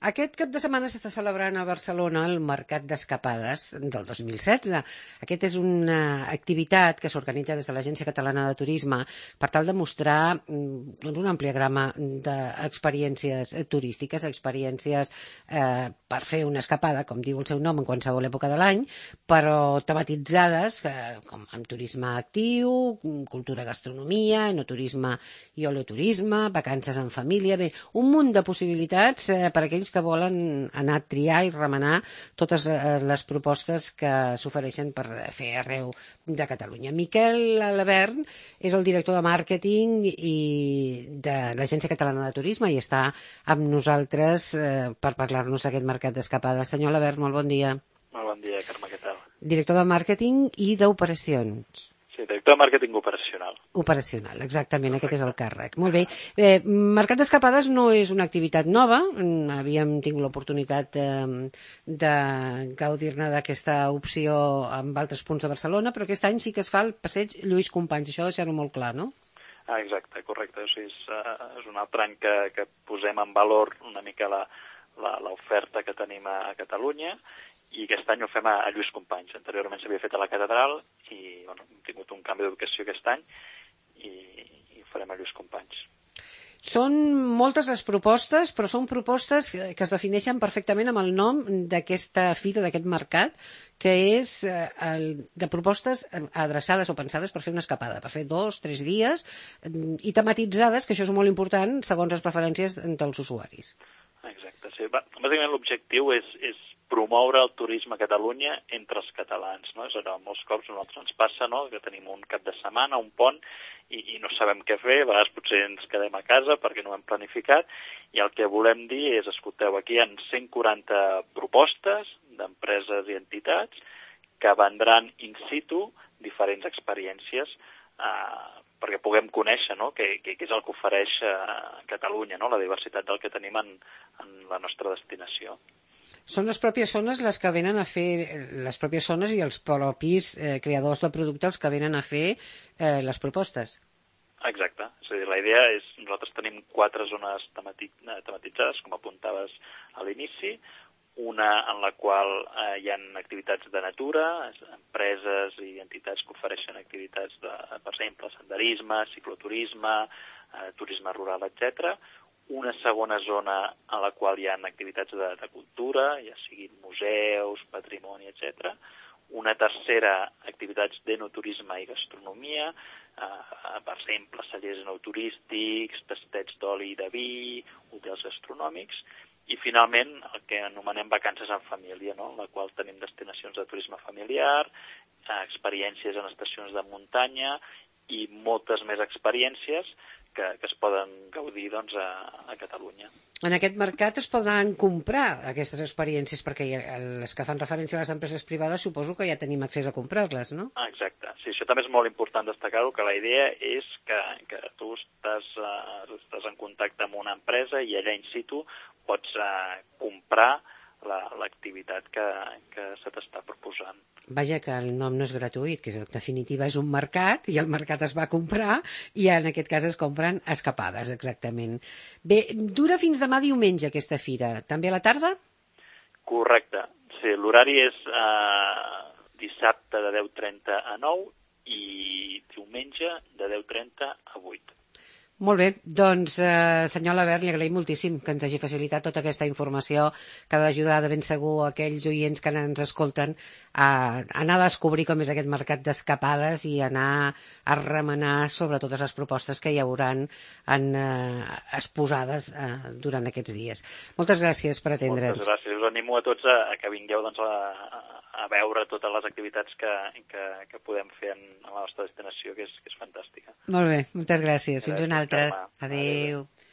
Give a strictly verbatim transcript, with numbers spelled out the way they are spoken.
Aquest cap de setmana s'està celebrant a Barcelona el Mercat d'Escapades del dos mil setze. Aquest és una activitat que s'organitza des de l'Agència Catalana de Turisme per tal de mostrar doncs, una àmplia gamma d'experiències turístiques, experiències eh, per fer una escapada, com diu el seu nom, en qualsevol època de l'any, però tematitzades eh, com amb turisme actiu, cultura, gastronomia, enoturisme i oleoturisme, vacances en família, bé, un munt de possibilitats eh, per a aquells que volen anar a triar i remenar totes les propostes que s'ofereixen per fer arreu de Catalunya. Miquel Lavern és el director de màrqueting i de l'Agència Catalana de Turisme i està amb nosaltres eh, per parlar-nos d'aquest mercat d'escapades. Senyor Lavern, molt bon dia. Molt bon dia, Carme, què tal? Director de màrqueting i d'operacions. Sí, director de màrqueting operacional. Operacional, exactament, Perfecte. aquest és el càrrec. Molt bé. Eh, Mercat d'Escapades no és una activitat nova, havíem tingut l'oportunitat eh, de gaudir-ne d'aquesta opció en altres punts de Barcelona, però aquest any sí que es fa el passeig Lluís Companys, això deixar-ho molt clar, no? Ah, exacte, correcte. O sigui, és, uh, és un altre any que, que posem en valor una mica la, la, l'oferta que tenim a, a Catalunya, i aquest any ho fem a, a Lluís Companys. Anteriorment s'havia fet a la Catedral i bueno, hem tingut un canvi d'ubicació aquest any i, i ho farem a Lluís Companys. Són moltes les propostes, però són propostes que es defineixen perfectament amb el nom d'aquesta fira, d'aquest mercat, que és eh, el, de propostes adreçades o pensades per fer una escapada, per fer dos, tres dies, i tematitzades, que això és molt important, segons les preferències dels usuaris. Exacte, sí. Bàsicament l'objectiu és, és promoure el turisme a Catalunya entre els catalans, no? És allò, molts cops a nosaltres ens passa, no?, que tenim un cap de setmana, un pont, i, i no sabem què fer, a vegades potser ens quedem a casa perquè no ho hem planificat, i el que volem dir és, escolteu, aquí hi ha cent quaranta propostes d'empreses i entitats que vendran in situ diferents experiències eh, perquè puguem conèixer, no?, què, què és el que ofereix a Catalunya, no?, la diversitat del que tenim en, en la nostra destinació. Són les pròpies zones les que venen a fer, les pròpies zones i els propis eh, creadors de producte els que venen a fer eh, les propostes. Exacte. És a dir, la idea és, nosaltres tenim quatre zones temati tematitzades, com apuntaves a l'inici, una en la qual eh, hi ha activitats de natura, empreses i entitats que ofereixen activitats de, per exemple, senderisme, cicloturisme, eh, turisme rural, etcètera. Una segona zona en la qual hi ha activitats de, de cultura, ja siguin museus, patrimoni, etcètera. Una tercera, activitats d'enoturisme i gastronomia, eh, per exemple, cellers enoturístics, tastets d'oli i de vi, hotels gastronòmics, i finalment el que anomenem vacances en família, no?, en la qual tenim destinacions de turisme familiar, eh, experiències en estacions de muntanya i moltes més experiències que, que es poden gaudir doncs, a, a Catalunya. En aquest mercat es poden comprar aquestes experiències, perquè les que fan referència a les empreses privades suposo que ja tenim accés a comprar-les, no? Ah, exacte. Sí, això també és molt important destacar-ho, que la idea és que, que tu estàs, uh, estàs en contacte amb una empresa i allà in situ pots uh, comprar l'activitat que, que se t'està proposant. Vaja, que el nom no és gratuït, que en definitiva és un mercat i el mercat es va comprar i en aquest cas es compren escapades, exactament. Bé, dura fins demà diumenge aquesta fira. També a la tarda? Correcte. Sí, l'horari és eh, dissabte de deu trenta a nou i diumenge de deu trenta a vuit. Molt bé, doncs eh, senyor Lavern, li agraïm moltíssim que ens hagi facilitat tota aquesta informació que ha d'ajudar de ben segur aquells oients que ens escolten a anar a descobrir com és aquest mercat d'escapades i anar a remenar sobre totes les propostes que hi hauran en, eh, exposades eh, durant aquests dies. Moltes gràcies per atendre'ns. Moltes gràcies. Us animo a tots a, a que vingueu doncs, a, a veure totes les activitats que, que, que podem fer en, en la nostra destinació, que és, que és fantàstica. Molt bé, moltes gràcies. Fins una altra. Carme. Adéu. Adéu.